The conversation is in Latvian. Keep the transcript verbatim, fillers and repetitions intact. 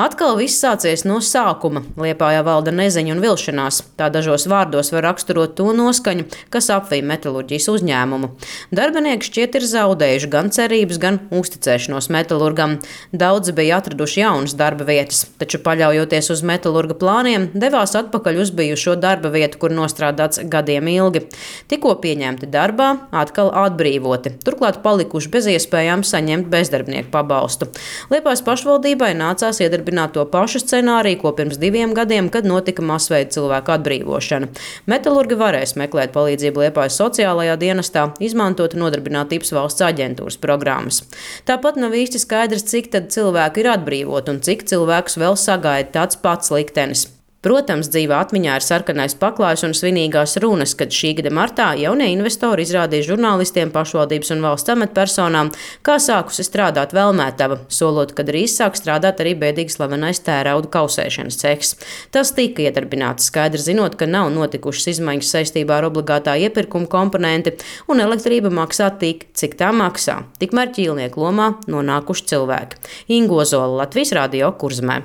Atkal viss sācies no sākuma. Liepājā valda neziņa un vilšanās. Tā dažos vārdos var raksturot to noskaņu, kas apvij metalurģijas uzņēmumu. Darbinieki šķiet ir zaudējuši gan cerības, gan uzticēšanos metalurgam. Daudzi bija atraduši jaunas darba vietas, taču paļaujoties uz metalurga plāniem, devās atpakaļ uz bijušo darba vietu, kur nostrādāts gadiem ilgi. Tikko pieņemti darbā, atkal atbrīvoti, turklāt palikuši bez iespējām saņemt bezdarbnieku pabalstu. Liepājas pašvaldībai nācās iedarbināt to pašu scenāriju, ko pirms diviem gadiem, kad notika masveida cilvēku atbrīvošana. Metalurgi varēs meklēt palīdzību Liepājas sociālajā dienestā, izmantot Nodarbinātības valsts aģentūras programmas. Tāpat nav īsti skaidrs, cik tad cilvēku ir atbrīvot un cik cilvēkus vēl sagaida tāds pats liktenis. Protams, dzīvā atmiņā ir sarkanais paklājs un svinīgās runas, kad šī gada martā jaunie investori izrādīja žurnālistiem, pašvaldības un valsts amatpersonām, kā sākusi strādāt Velmētava, solot, ka drīz sāk strādāt arī bēdīgi slavenais tērauda kausēšanas cehs. Tas tika iedarbināts, skaidri zinot, ka nav notikušas izmaiņas saistībā ar obligātā iepirkuma komponenti un elektrība maksā tik, cik tā maksā. Tikmēr ķīlnieku lomā nonākuši cilvēki. Inga Ozola, Latvijas Radio, Kurzemē.